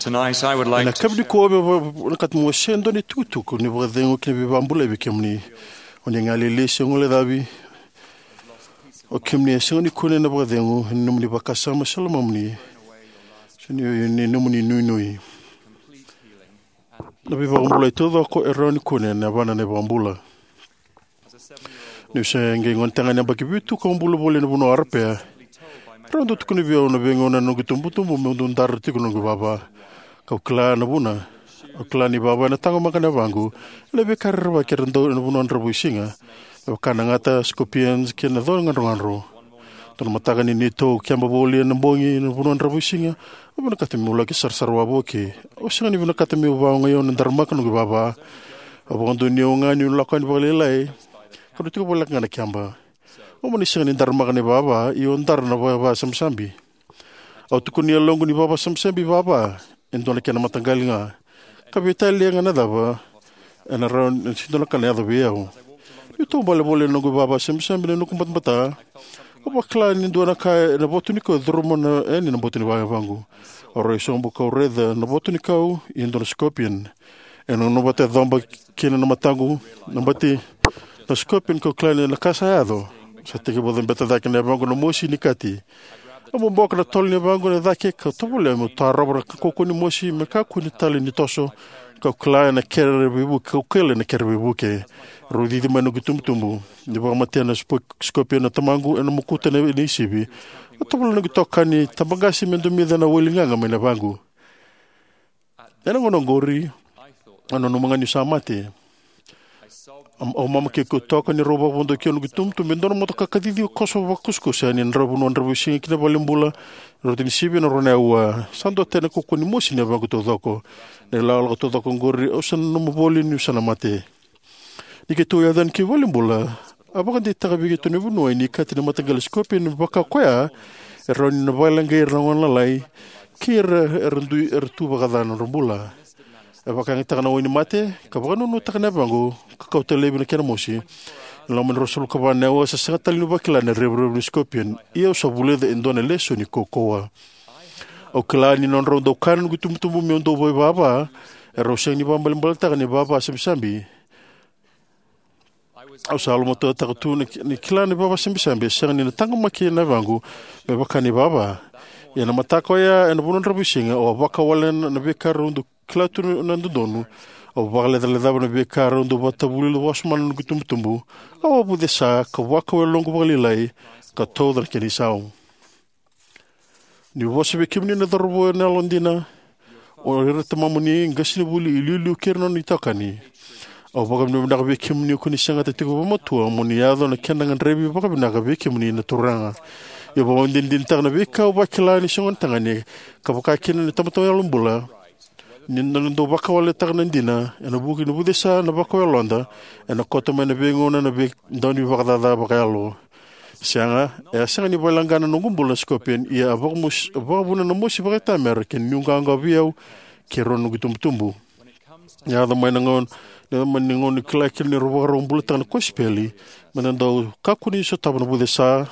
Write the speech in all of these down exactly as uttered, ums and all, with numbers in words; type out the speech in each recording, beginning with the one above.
Tonight, I would like Ena to kavi nikua, au vinakata meu wasea e dua na itukutuku ni vakacegu kei na veivakabulai vei kemuni. O ni galili se guilecavi, o kemuni e sega ni kune na vakacegu ena nomuni vakasama se lomamuni, se ni, ni nomuni nuinui. Na veivakabulai taucoko e rawa ni kune ena yavana na iVakabula. Niu se qai gonetagane yabaki vitu, kau bula voli ena vanua o Arapea. Rau dau tukuna vei au na veigauna ena noqu itubutubu meu dau dara tiko na noqu ivava. Kau kila na vuna. Au kila ni ivava ena taqomaka na yavaqu ena veika rerevaki era dau ena vanua dravuisiga, me vaka na gata, scorpions, kei na cau gadrogadro. Dua na mataka ni neitou keba voli ena bogi ena vanua dravuisiga, au vinakata meu laki sarasara wavoki. Au sega ni vinakata meu vakaogai au na daramaka noqu ivava. Au vakadonuya au ga niu lako yani vakalailai, kau na tiko voleka ga na keba. Au mani sega ni daramaka na ivava, ia au dara na ivava sabisabi. Au tukuna e yaloqu ni ivava sabisabi, ivava, e dua na kena mataqali ga. Ka veitalia ga na cava, ena rawa ni se dua na ka na yaco vei au. Niu taubale voli ena noqu ivava sabisabi ena noqu batabata, au vakila ni dua na ka ena voto ni kau e curuma yani na boto ni yavaqu. Au rai sobu kau raica na voto ni kau, ia e dua na scorpion. E nanuma vata e coba kina na mataqu na bati na scorpion, kau kila ni na ka sa yaco. Sa tekivu cabeta cake na yavaqu na mosi ni kati. Au boboka na tolo ni yavaqu ena cake, kau tovolea meu tarova na kaukauwa ni mosi me kakua tale ni toso. Kau kila ena kere veivuke, kau kila ena kere veivuke. Rau cici mai na noqu itubutubu. Ni vakamatea na spo-, scorpion na tamaqu ena mokuta na, na isivi, au tovolea na noqu itokani tabaqase me domica na wai ligaga mai na yavaqu. Ena gauna oqori, au nanuma ga niu sa mate. Au, au mama kei kau toka ni rau vakavodoki au noqu itubutubu e dua na motoka ka cici koso vakakusakusa yani ena vanua dravuisiga ki na valenibula. Rau tini sivi ena rua na aua. Sa duatani na kaukauwa ni mosi ni yavaqu taucoko. Na ilakolako taucoko oqori au sa nanuma voli niu sa na mate. Ni keitou yaco yani ki valenibula, a vakadeitaka vei keitou na vanua ni kati na mataqali scorpion, vaka koya e rawa ni na vakaleqai ira na gone lalai kei ira era dui, era tu vakaca na nodra bula. E vakayagataka na wai ni mate, ka vakananuma na yavaqu, ka kauta laivi na kena mosi. Ena loma ni ruasagavulu ka va na aua, sa sega tale niu vakila na revurevu ni scorpion, ia au sa vulica e dua na lesoni kaukauwa. Au kila ni nodrau dau kaya na noqu itubutubu meu dau vakaivava, erau sega ni vakaibalebaletaka na ivava sabisabi. Au sa lomatuataka tu ni, ni kila na ivava sabisabi e sega ni na taqomaki na yavaqu me vaka na ivava. Ia na mataka oya ena vanua dravuisiga, au a vakawalena na veika rau dau kila tu na dodonu. Au vakalecalecava na veika rau dau vakatavuli wasoma na noqu itubutubu. Au a vucesa, ka vakau e yaloqu vakalailai, ka tauca na kena isau. Niu vosa vei kemuni na cauravou ena yalodina, o ira na tamamuni, qasenivuli, iliuliu kei ira na nona itokani. Au vakavinavinaka vei kemuni ko ni segata tiko vakamatua mo ni yaco na kena gadrevi vakavinaka vei kemuni na Turaga. Ia au vakadinadinataka na veika au vakila ni se gonetagane, ka vaka kina na tamata yalobula. Ni na dau vakawaletaka na dina, ena vuku ni vucesa na vakau yaloda, ena koto mai na veigauna na veidaunivakacaca vakayalo. Sega, e a sega ni vakaleqa na noqu bula na scorpion, ia a vakamosi, a vakavuna na mosi vakaitamera kei na nuiqawaqawa vei au kei rau na noqu itubutubu. E yaco mai na gauna, na mai na gauna ni kila kina ni rau vakarau bulataka na kosipeli, me da dau kakua ni sotava na vucesa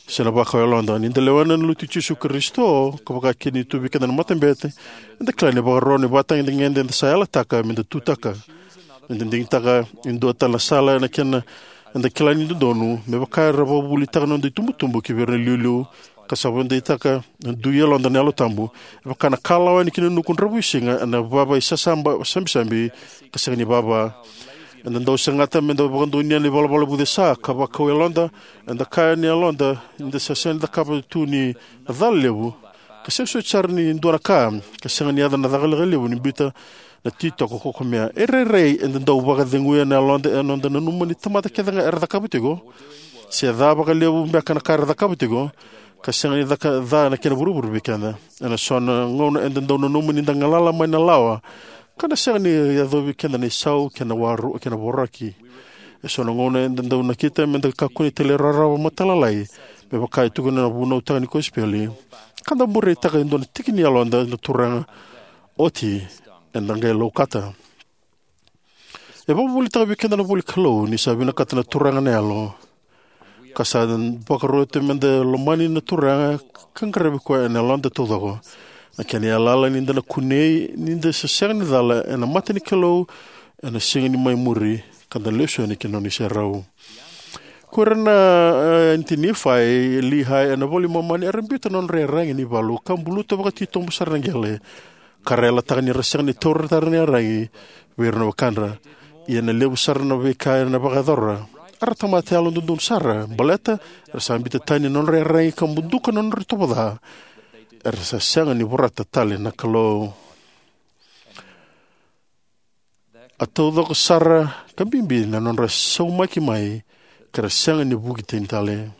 se na vakau yaloda. Ni da lewena na Lotu i Jisu Karisito, ka vaka kina ni tu vei keda na matabete, eda kila ni vakarau na ivakatagedegede eda sa yalataka me da tutaka. Eda digitaka e dua tale na sala ena kena eda kila ni dodonu, me vaka era vakavuvulitaka na noda itubutubu ki vei ira na iliuliu, ka sa vakadeitaka na dui yaloda na Yalo Tabu, e vaka na ka lawa yani ki na nuku dravuisiga ena vava isasaba, sabisabi, ka sega ni vava. Eda dau segata me da vakadonuya na ivalavala vucesa, ka vakau yaloda, eda kaya ni yaloda, eda sa sega ni cakava tu ni na cala levu, ka sega soti sara ni dua na ka, ka sega ni yaco na caka levu ni biuta na titoko kokomea. E rairai eda dau vakaceguya na yaloda ena noda nanuma ni tamata kece ga era cakava tiko, se ca vakalevu beka na ka era cakava tiko, ka sega ni caka ca na kena vuravura vei keda. Ena so na gauna eda dau nanuma ni da galala mai na lawa, ka na sega ni yacovi keda na isau kei na waru kei na voraki. E so na gauna eda dau nakita me da kakua ni talairawarawa matailalai, me vaka e tukuna na vunautaka ni kosipeli, ka da bureitaka e dua na tiki ni yaloda na Turaga, oti eda qai laukata. E vakavuvulitaka vei keda na ivolanikalou ni sa vinakata na Turaga na yalo, ka sa vakaroti me da lomani na Turaga ka qaravi koya ena yaloda taucoko. Na kena yalayala ni da na kunei ni da sa sega ni cala ena mata ni Kalou ena siga ni mai muri, ka da lesu yani ki na nona iserau. Ko ira na eh, Anti-Nifai, Lihai ena iVola i Momani, era biuta na nodra iyaragi ena ivalu ka buluta vakatitobu sara na qele, ka ra yalataka ni ra sega ni taura tale na iyaragi vei ira na wekadra. Ia na levu sara na veika era vakayacora, era tamata yalododonu sara baleta era sa biuta tani na nodra iyaragi ka buduka na nodra itovo ca, era sa sega ni vorata tale na Kalou. A taucoko sara ka bibi na nodra saumaki mai, ka ra sega ni vuki tani tale.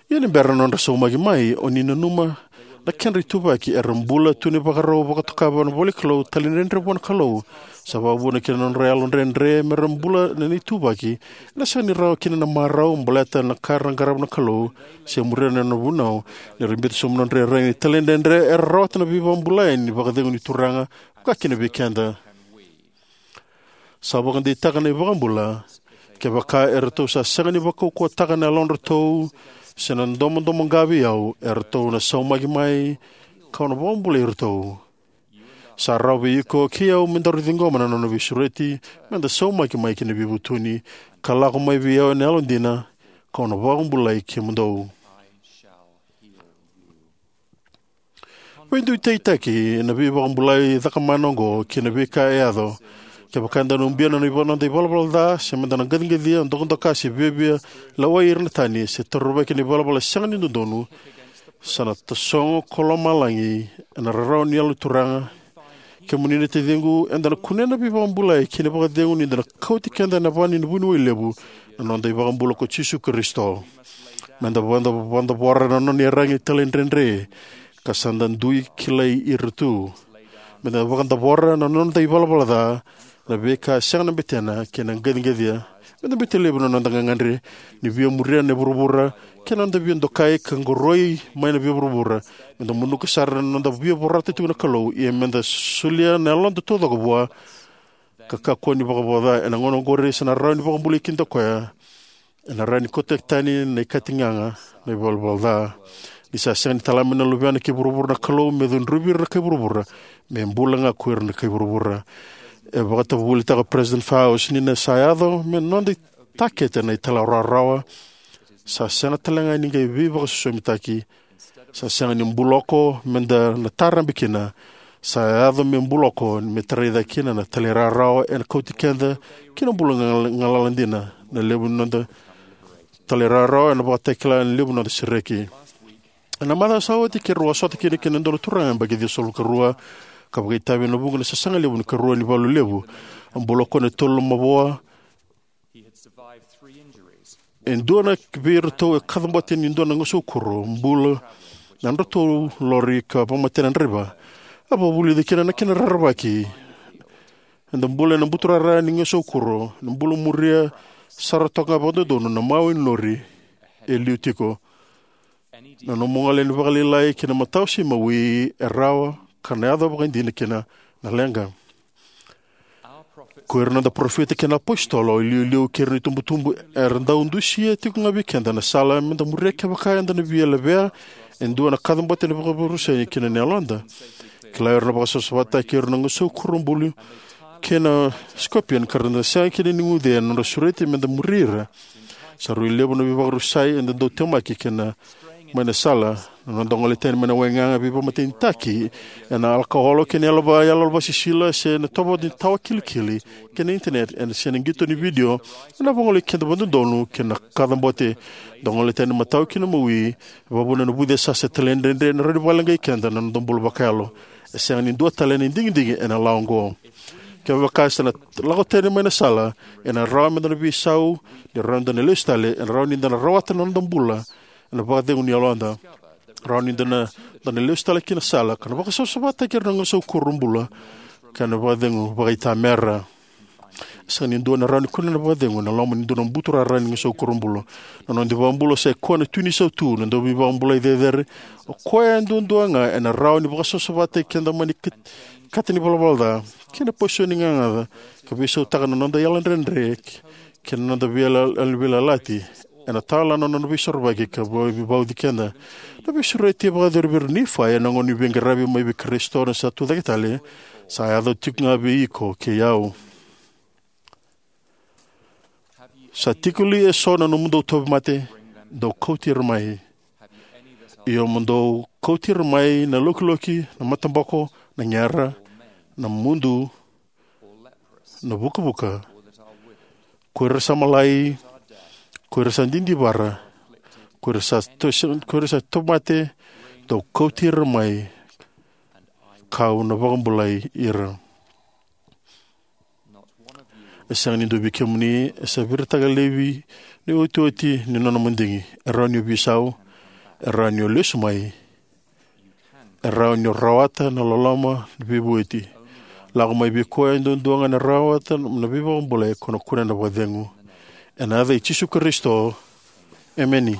Ia ni bera na nodra saumaki mai, o ni nanuma na kedra ituvaki, era bula tu ena ivakarau vakatoka vua na ivolanikalou, talaidredre vua na Kalou. Sa vakavuna kina na nodra yalodredre me ra bula ena ituvaki, ena sega ni rawa kina na marau baleta na ka era qarava na Kalou se muria na nona vunau. Ni ra biuta sobu na nodra iyaragi ni talaidredre, era rawata na veivakabulai ni vakacegu ni Turaga, vaka kina vei keda. Sa vakadeitaka na iVakabula, kevaka eratou sa sega ni vakaukauwataka na yalodratou se na domodomoqa vei au, eratou na saumaki mai, kau na vakabulai iratou. Sa rawa vei iko kei au me daru ciqoma na nona veisureti, me da saumaki mai ki na veivutuni, ka lako mai vei au ena yalodina, kau na vakabulai kemudou. Veidutaitaki ena veivakabulai cakamana oqo kei na veika e yaco. Kevaka eda na ubia na noda ivalavala ca, se meda na qaciqacia, dokadoka, se viavia lewai ira na tani, se taruvaki ena ivalavala sega ni dodonu, sa na tasogo ko lomalagi ena rarawa ni Yalo ni Turaga. Kemuni na taciqu, eda na kunea na veivakabulai kei na vakacegu ni da na kauti keda ena va ni vuniwai levu, na noda iVakabula ko Jisu Karisito. Meda vakadavora na nona iyaragi talaidredre, ka sa da dui kilai ira tu. Meda vakadavora na noda ivalavala ca, na veika sega na betena kei na qaciqacia. Meda biuta laivi na noda gagadre ni via muria na vuravura, kei na noda via dokai ka qoroi mai na via vuravura. Meda muduka sara na noda via vorata tiko na Kalou, ia meda solia na yaloda taucoko vua, ka kakua ni vakavoca. Ena gauna oqori sa na rawa ni vakabulai keda o koya. Ena rawa ni kauta tani na ikatigaga na ivalavala ca. Ni sa sega ni tala mai na Luvena ki vuravura na Kalou me cudruvi ira na kai vuravura, me bula ga ko ira na kai vuravura. E vakatavuvulitaka o President Faust ni na sa yaco me noda itakete na italairawarawa. Sa sega tale ga ni qai veivakasosomitaki. Sa sega ni buloko meda na tarabe kina. Sa yaco me buloko me tarai cake kina na talairawarawa ena kauti keda ki na bula ga-, galala dina. Na levu ni noda talairawarawa ena vakatakila na levu ni noda sereki. Ena macawa sa oti keirau a sota kina kei na dua na turaga yabaki ciwasagavulu ka rua, ka vakaitavi ena vuqa na sasaga levu ni karua ni valu levu. A bula o koya ena tolu na mavoa. E dua na vei iratou e kacabote ni dua na gasaukuro, bula na nodratou lori ka vakamatei na draiva. A vakavulica kina na kena rerevaki. Eda bula ena buturara ni gasaukuro, na bula muria sara toka ga vakadodonu na mawe ni lori e liu tiko. Na nomu gole ni vakalailai ki na matau se imawi e rawa ka na yaco vakaidina kina na leqa. Ko ira na noda parofita kei na apositolo, iliuliu kei ira na itubutubu era dau dusia tiko ga vei keda na sala meda muria kevaka eda na via levea e dua na kacabote ni vakaveivakasosoi ki na yaloda. Kila ira na vakasavasavataki ira na gasaukuro bula kei na scorpion ka ra na sega kina ni guce ena nodra sureti meda muri ira. Sa rui levu na veivakarusai eda dau temaki kina mai na sala. Na noda gole tani mai na waigaga veivakamatenitaki ena alakaolo kei na yalo va-, yalo vasisila se na tovo ni tawa kilikili kei na internet ena se na qito ni vidio, ena vagolei keda vakadodonu kei na kacabote. Da gole tani matau ki na mawi, e vakavuna na vuce sasa talaidredre ena rawa ni vakaleqai keda na noda bula vakayalo. E sega ni dua tale na digidigi ena lawa oqo. Kevaka sa na lako tani mai na sala, ena rawa meda na veisau, ni rawa ni da na lesu tale, ena rawa ni da na rawata na noda bula ena vakacegu ni yaloda. Rawa ni da na, da na lesu tale ki na sala ka na vakasavasavataki ira na gasaukuro bula, ka na vakacegu vakaitamera. E sega ni dua na rawa ni kunea na vakacegu ena loma ni dua na buturara ni gasaukuro bula. Na noda iVakabula sa i koya na Tui ni Sautu, na Dauveivakabulai cecere. O koya e duadua ga ena rawa ni vakasavasavataki keda mai na kat-, kata ni valavala ca kei na paiso ni gagaca, ka veisautaka na noda yalodredre kei na noda veila-, veiyalayalati. ena tawa na nona veisorovaki ka vauci keda. Na veisureti e vakayacori vei ira na Nifai ena gauna ni veiqaravi mai vei Karisito na sa tucake tale, sa yaco tiko ga vei iko kei au. Sa tiko li eso na nomudou tauvimate? Dou kauti ira mai. Io, mo dou kauti ira mai na lokiloki, na mataboko, na gera, na mudu, na vukavuka, ko ira sa malai, ko ira sa didivara, ko ira sa, to, ko ira sa tauvimate, dou kauti ira mai, kau na vakabulai ira. E sega ni dua vei kemuni e sa viritaka laivi ni otioti ni nona madigi. E rawa ni o veisau, e rawa ni o lesu mai, e rawa ni o rawata na loloma ni veivueti. Lako mai vei koya e duadua ga na rawata na veivakabulai, ko na kunea na vakacegu. Ena yaca i Jisu Karisito, emeni.